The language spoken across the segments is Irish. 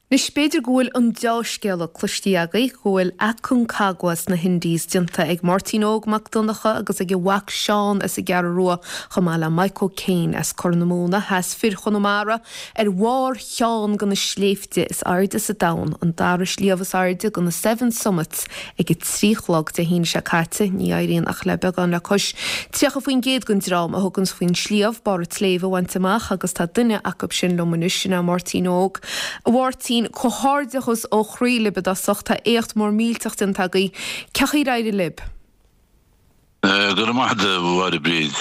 Anois, b'fhéidir go bhfuil an deá-scéala cloistí agaibh, go bhfuil Aconcagua sna hIndies déanta ag Máirtín Óg Mac Donncha agus ag a mhac Seán as an gCeathrú Rua, chomh maith le Mike O'Kane as Corr na Móna, Sheas fir Chonamara ar bharr cheann de na sléibhte is airde sa domhan, an dara sliabh is airde de na Seven Summits, ag a 3 a chlog Dé hAoine seo caite. Ní éiríonn ach le beagán le cois 30% den dream a thuganns faoin sliabh barr an tsléibhe a bhaint amach agus tá duine acu sin liom anois, sin é Máirtín Óg. A Mháirtín, comhghairdeachas ó chroí libh i dtosach, tá éacht mór millteach déanta agaibh. Cén chaoi ar éirigh libh? Go raibh maith agat, a Mháire Bríd.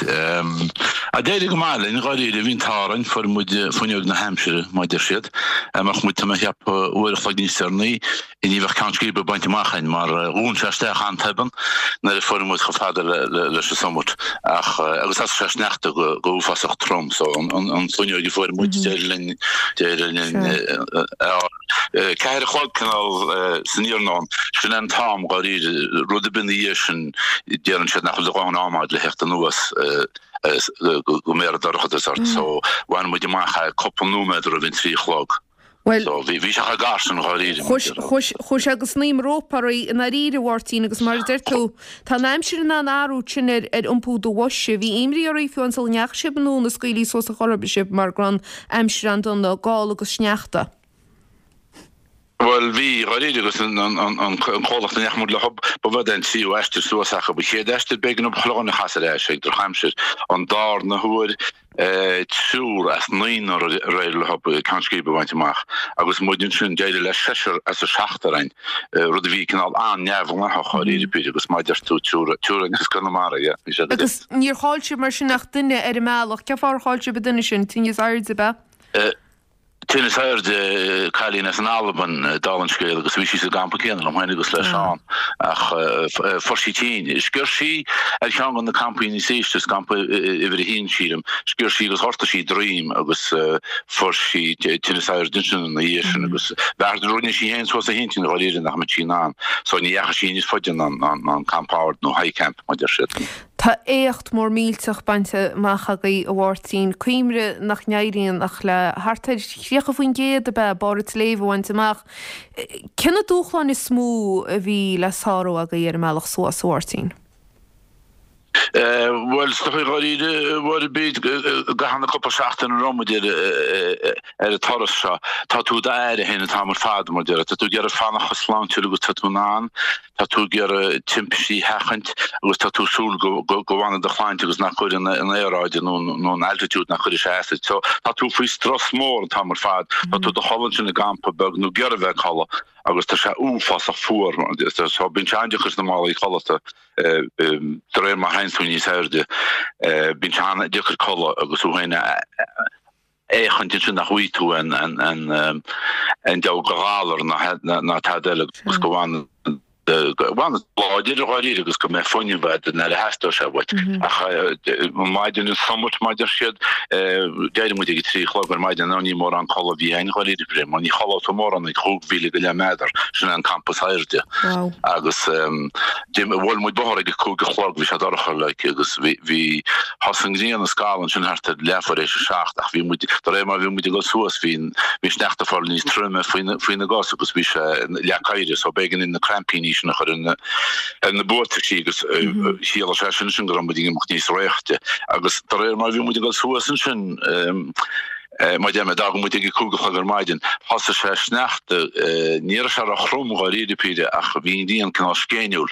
D'éirigh go maith linn, dháiríre. Bhí an t-ádh orainn, fuair muid fuinneog na haimsire, mar a deir siad. Dá mbeadh muid, tá mé a cheapadh, uair a chloig níos deireanaí, ní bheadh ceann scríbe bainte amach againn, mar dhún sé isteach an-tobann nuair a fuair muid chomh fada leis an summit. Ach, agus thosaigh sé ag sneachta go huafásach trom, so an fuinneog a fuair muid, d'éirigh linn, d'éirigh linn a fháil. 4 a chlog cineál san iarnóin, sin é an t-am dháiríre, rud ar bith ina dhiaidh sin deireann siad nach bhfuil do dhóthain ama agat le theacht anuas go mbéarfaidh dorchadas ort so bhain muid amach é cúpla nóiméad roimh an 3 a chlog. Bhuel, So bhí bhí sé chomh gar sin dháiríre. Chuaigh sé go snaidhm rópa oraibh i ndáiríre, a Mháirtín, agus mar a deir tú, tá an aimsir in ann athrú sin ar ar iompú do bhoise. Bhí imní oraibh fiú amháin sula ndeachaigh sibh anonn a scaoilfí suas ar chor ar bith sibh mar go raibh an aimsir an-dona, gála agus sneachta. Bhuel, bhí, dháiríre, agus an comhlacht a ndeachaigh muid leo, ba bh'é an tríú aistear suas acu. An chéad aistear, b'éigean dóibh chuile dhuine a chasadh ar ais ag drochaimsir. An darna huair, triúr as naonúr ar éirigh leo ceann scríbe a bhaint amach. Agus muid ansin, d'éirigh le seisear as an seachtar againn, rud a bhí cineál an-neamhghnáthach, dháiríre píre, agus mar a deir tú, triúr, triúr as Conamara, yeah, bhí sé go Agus níor chaill sibh mar sin ach duine ar an mbealach. Cén fáth ar chaill sibh an duine sin? Tinneas airde, ab ea? Tinneas airde, cailín as an Albain, dála an scéil, agus bhí sí sa gcampa céanna liom féin agus le Seán, ach fuair sí tinn. Sciorr sí ar cheann de na campaí níos ísle, is campa uimhir a haon, sílim, sciorr sí agus ghortaigh sí droim agus fuair sí tinneas airde ansin ina dhiaidh sin agus bheartaigh, rinne sí féin suas a hintinn dháiríre nach mbeadh sí in ann, so ní dheachaigh sí níos faide ná an campa ard nó high camp mar a deir siad. Tá éacht mór millteach bainte amach agaibh, a Mháirtín. Cuimhnigh nach n-éiríonn ach le thart ar 30% ab ea barr an tsléibhe a bhaint amach. Cé na dúshláin is mó a bhí le sárú agaibh ar an mbealach suas, a Mháirtín? Bhuel, is dócha dháiríre, a Mháire Bríd, i gcaitheamh na cúpla seachtain a raibh muid ar an turas seo, tá tú i d'aire féin an t-am ar fad, mar a déarfá. Tá tú ag iarraidh fanacht chomh sláintiúil agus tá tú in ann. Tá tú ag iarraidh timpistí a sheachaint agus tá tú ag súil go bhfanfaidh do shláinte agus nach gcuirfidh an aeráid nó an altitude nach gcuirfidh sé as duit. So tá tú faoi strus mór an t-am ar fad. Tá tú i do chodladh ansin i gcampa beag nó ag iarraidh bheith ag codladh agus tá sé uafásach fuar. So bíonn sé an-deacair sna málaí codlata de réir mar a théann tú níos airde. Bíonn sé an-deacair codladh agus thú féin a fhéachaint ansin nach bhfaighidh tú an diabhal de ghalar ná tada eile agus go bhfanfaidh go bhfanfaidh tú láidir dháiríre agus go mbeidh fuinneamh agat nuair a theastóidh sé uait. Ach maidin an summit mar a deir siad, d'éirigh muid ag a 3 a chlog ar maidin, nó ní mórán codladh a bhí againn dháiríre, mar ní chodlóidh tú mórán ag 5,000 go leith méadar, sin é an campa is airde. Agus bhuail muid bóthar ag a 5 a chlog, bhí sé dorcha like agus bhí, Thosaigh an ghrian ag scalladh ansin thart ar leathuair éis a 7 ach bhí muid, de réir mar a bhí muid ag dul suas, bhí an, bhí an sneachta ag fáil níos troime faoina gcos agus bhí sé leath éirithe so b'éigean dúinn na crampíní sin a chur ar na, ar na buataisí agus chiallaigh sé sin sin go raibh muid ag imeacht níos réichte agus de réir mar a bhí muid ag dul suas ansin, Mar a deir mé, d'fhág muid ag a 5 a chlog ar maidin. Thosaigh sé ag sneachta. Ní raibh sé ró-throm dháiríre píre ach bhí an ghrian cineál scéiniúil.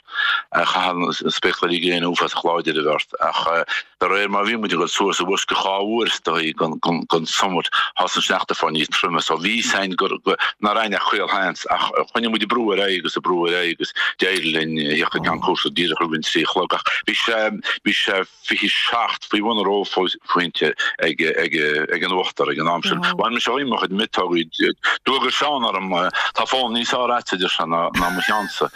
Chaithfeá na spéacláirí gréine uafásach láidir a bheith ort. Ach de réir mar a bhí muid ag dul suas i bhfoisceacht 2 uair is dóigh den summit, thosaigh an sneachta ag fáil níos troime. So bhí a fhios againn gur nach raibh ach caolsheans ach choinnigh muid ag brú ar aghaidh agus ag brú ar aghaidh agus d'éirigh linn a theacht go ceann cúrsa díreach roimh an 3 a chlog. Ach bhí sé, bhí sé. 27 faoi bhun an reophointe ag an uachtar ag an am sin. Bhain mise díom mo chuid miotógaí. D'fhuagair Seán orm, tá fón níos fearr agat, a deir sé, ná mo cheannsa.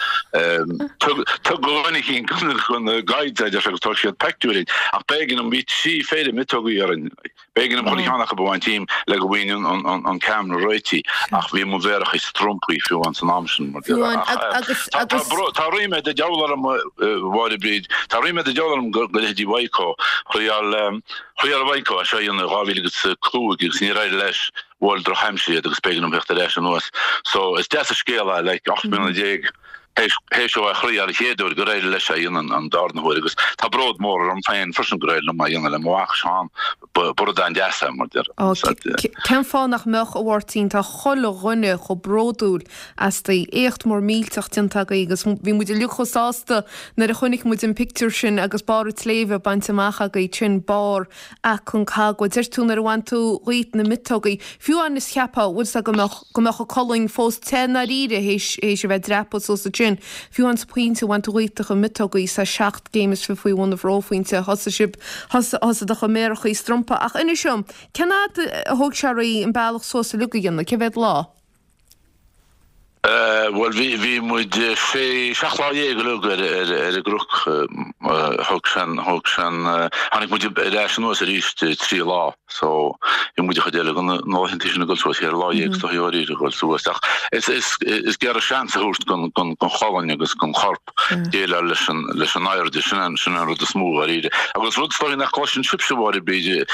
Tug do dhuine eicínt do na guides é, a deir sé, agus tógfaidh siad peictiúr dhíot. Ach b'éigean dom, bhí 3 phéire miotógaí orainn. B'éigean dom chuile cheann acu a bhaint díom le go bhfaighinn an ceamara réitithe ach bhí mo mhéaracha strompaí fiú amháin san am sin mar Tá ríméad an diabhail orm a Mháire Bríd, tá ríméad an diabhail orm go leithéidí Mhaidhc Thriail Mhaidhc é seo a dhéanamh 2005 agus níor éirigh leis. Bhuail drochaimsir iad agus b'éigean dom theacht ar ais anuas. So is deas an scéal é, like, 18 mbliana théis dó é a thriail an chéad uair gur éirigh leis é a dhéanamh an darna huair agus tá bród mór orm féin freisin gur éirigh liom é a dhéanamh le mo mhac Seán. Ba rud an-deas é mar deir. Ó, cén fáth nach mbeadh, a Mháirtín, tá chuile dhuine chomh bródúil astaibh. Éacht mór millteach déanta agaibh agus bhí muid uilig chomh sásta nuair a chonaic muid an pictiúr sin agus barr an tsléibhe bainte amach agaibh, sin barr Aconcagua. Deir tú nuair a bhain tú dhíot na miotógaí, fiú amháin is cheapfá, bhfuil 's agat, go mbeadh, go mbeadh an colainn fós te i ndáiríre théis, théis a bheith ag dreapadh suas ansin. Fiú amháin sa phointe a bhain tú dhíot do chuid miotógaí, is é 7 gcéim is fi faoi bhun an bhreophointe, thosaigh sibh, thosaigh, thosaigh do chuid méarachaí ag strumpadh. Ach inis dom, cén fhad a thóg sé oraibh an bealach suas uilig a dhéanamh, cé mhéad lá? Bhuel, bhí, bhí muid sé, 17 lá uilig ar, ar, ar an gcnoc. Thóg sé an, thóg sé an, tháinig muid ar ais anuas arís 3 lá. So, bhí muid an chuid eile de na laethanta sin ag dul suas, 14 lá is dóichí dháiríre ag dul suas. Ach is, is, is ag iarraidh seans a thabhairt don, don, don cholainn agus don chorp. déileáil leis an leis an airde, sin an sin an rud is mó dháiríre. Agus rud is dóichí nach gcloiseann sibhse a Mháire Bríde,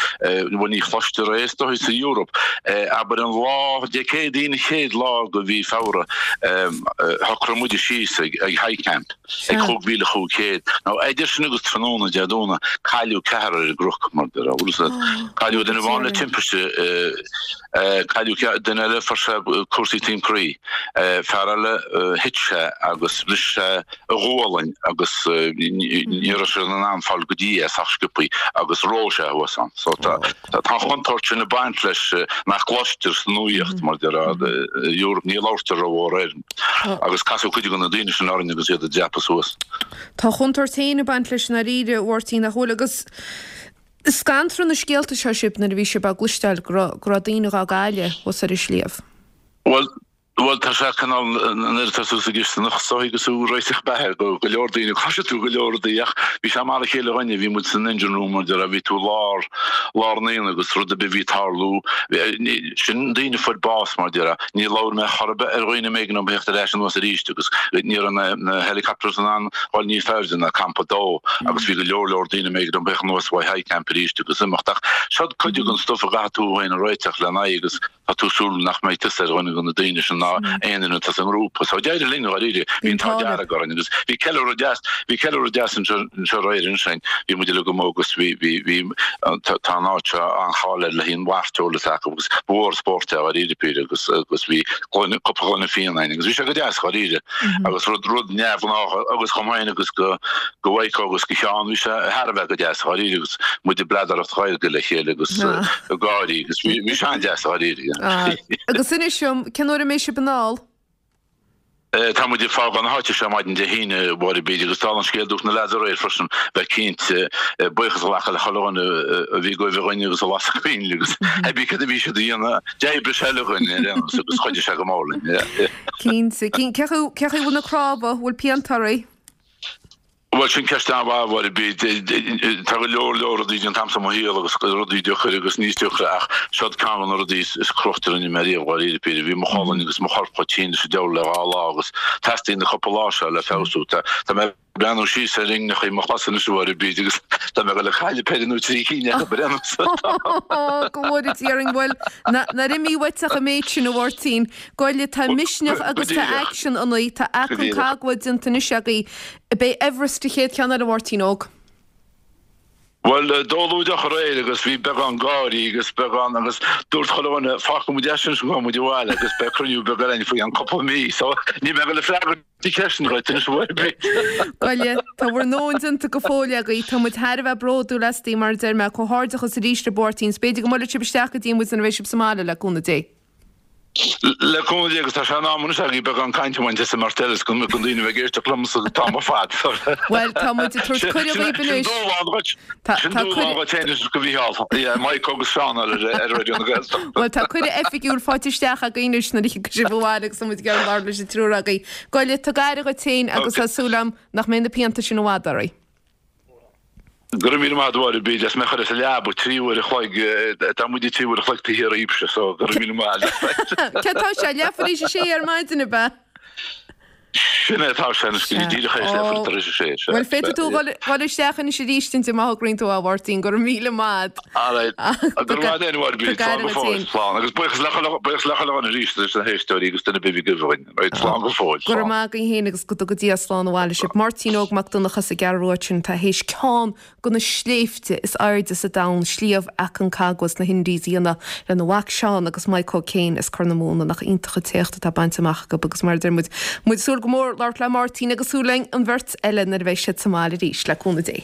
bhuel ní chloistear é is dóichí sa Eoraip, abair an lá Dé Céadaoin an chéad lá de mhí Feabhra, shocraigh muide síos ag ag High Camp ag 5500. Now idir sin agus tráthnóna Dé Domhnaigh cailleadh ceathrar ar an gcnoc mar a déarfá. Cailleadh duine amháin le timpiste, Cailleadh duine eile, fuair sé cúrsaí taom croí. Fear eile, thit sé agus bhris sé a ghualainn agus ní raibh siad in ann fáil go dtí é sách sciobthaí agus reoigh sé thuas ann. So tá an chontúirt sin ag baint leis nach gcloistear sa nuaíocht mar déarfá Europe, ní labhartar rómhór air. Agus casadh cuid de na daoine sin orainn agus iad ag dreapadh suas. Tá a chontúirt féin ag baint leis i ndáiríre, a Mháirtín, nach bhfuil? Agus Scanraigh na scéalta seo sibh nuair a bhí sibh á gcloisteáil go raibh, go raibh daoine dhá gcailleadh thuas ar an sliabh? Bhuel, bhuel tá sé cineál, nuair atá tú sa gcisteanach is dóichí agus tú ag réiteach beatha go, go leor daoine, cloisfidh tú go leor rudaí ach bhí sé mar a chéile dhúinne, bhí muid san engine room mar déarfá, bhí tú i lár, lár an aonaigh agus rud ar bith a bhí ag tarlú, sin daoine a fuair bás mar déarfá, níor labhair mé chor ar bith ar dhaoine mb'éigean dóibh theacht ar ais anuas arís agus ní raibh na, na helicopters in ann dhul níos airde ná campa 2 agus bhí go leor leor daoine mb'éigean dóibh theacht anuas uaidh High Camp arís agus imeacht ach seo cuid den stuif a gcaithfidh tú féin a réiteach lena aghaidh agus tá tú ag súil nach mbeidh tusa ar dhuine de na daoine sin ná aon duine atá sa ngrúpa. So d'éirigh linn dháiríre, bhí an t-ádh dearg orainn agus bhí ceiliúradh deas, bhí ceiliúradh deas anseo anseo aréir ansin, bhí muid uilig amuigh agus bhí, bhí, bhí, tá an áit seo an-cháil air le haghaidh an mhairteoil atá acu agus ba mhór an spórt é dháiríre píre agus agus bhí gloine, cúpla gloine fíona againn agus bhí sé go deas dháiríre agus rud, rud neamhghnách agus chomh maith agus go, go Mhaidhc agus go Sheán bhí sé thar a bheith go deas dháiríre agus muid ag bladaireacht Ghaeilge le chéile agus ag gáirí agus bhí, bhí sé an-deas dháiríre. Agus inis dom, cén uair a mbeidh sibh anall? Tá muid ag fágáil na háite seo maidin Dé hAoine, a Mháire Bríde, agus dála an scéil dúirt na leaids aréir freisin bheith cinnte buíochas a ghlacadh le chuile dhuine a bhí ag goimh againn agus a las an coinnle agus hébí cad a bhí siad a dhéanamh, d'oibrigh sé le dhuine ar aon nós agus chuidigh sé go mór linn. Cinnte. Cén chaoi a bhfuil na cnámha, bhfuil pianta oraibh? Bhuel, sin ceist an-mhaith, a Mháire Bríde. Tá go leor leor rudaí déanta a'msa i mo shaol agus rudaí deacair agus níos deacra ach seod ceann de na rudaí is cruaite a rinne mé riamh, dháiríre píre. Bhí mo cholainn agus mo chorp chomh tinn leis an diabhal le dhá lá agus teastaíonn na cúpla lá seo le feabhsú. Tá mé ag breathnú síos ar inghneachaí mo chos anois, a Mháire Bríde, agus tá mé ag dul a cailleadh péire nó trí cinn acu ar aon nós. Go bhfóire Dia orainn, bhuel, nár imigh uait ach an méid sin, a Mháirtín. Goile, tá misneach agus tá aicsean ionaibh, tá Aconcagua déanta anois agaibh. B'é Everest an chéad cheann eile, a Mháirtín Óg. Bhuel, d'ól deoch aréir agus bhí beagán gáirí agus beagán agus dúirt chuile dhuine, fágfaidh muid é sin is gabhfaidh muid abhaile agus beidh cruinniú beag againn faoi cheann cúpla mí. So, níl mé ag dul ag freagairt na ceisteanna dhuit anois a Mháire Bríd. Goile, tá bhur ndóthain déanta go fóill agaibh. Tá muid thar a bheith bródúil astaibh, mar a deir mé. Comhghairdeachas arís, a Mháirtín. 's b'fhéidir go mbuailfidh sibh isteach go dtí muid nuair a bheidh sibh sa mbaile, le cúnamh Dé. Le cúnamh Dé agus tá sé in am anois agaibh beagán cainte a bhaint as an mbeirt eile is go mbeadh daoine a bheith ag éisteacht liomsa an t-am ar fad. Bhuel, tá muid ag tabhairt cuireadh dhaoibh anois. Sin dúshlán dhuit. Sin dúshlán dhuit féin is do Mhícheál. Yeah, Mike agus Seán ar Raidió na Gaeltachta. Bhuel, tá cuireadh oifigiúil faighte isteach againn anois nuair a thiocfaidh sibh abhaile agus tá muid ag iarraidh labhairt leis an triúr agaibh. Goile, tug aire dhuit féin agus tá súil agam nach mbeidh na pianta sin i bhfad oraibh. Go raibh míle maith agat a Mháire Bríd, is mé a chur as an leaba 3 uair a chloig, tá muide 3 uair a chloig taobh thiar dhíbhse, so go raibh míle maith agat. Céard tá sé, leathuair tar éis a sé ar maidin, ab ea? Sin é atá sé anois go dtí díreach théis leathuair tar éis a sé. Sea, Bhuel, féadfaidh tú dhul dhul isteach anois arís ansin má thograíonn tú a Mháirtín, go raibh míle maith a't. Alright. Go raibh maith a't a Mháire Bríd, slán go fóill, slán. Agus buíochas le chuile, buíochas le chuile dhuine arís, leis na héisteoirí agus duine ar bith a bhí ag againn. Right, slán go fóill, Go raibh maith agaibh féin agus go dtuga Dia slán abhaile sibh. Máirtín Óg Mac Donncha as an gCeathrú Rua ansin atá théis ceann de na sléibhte is airde sa domhan, Sliabh Aconcagua sna hIndies a dhéanamh lena mhac Seán agus Mike O'Kane as Corr na Móna. Nach iontach an t-éacht atá bainte amach acu agus mar a deir muid, muid ag súil go mór labhairt le Máirtín agus súil linn an bheirt eile nuair a bheidh siad sa mbaile arís, le cúnamh Dé.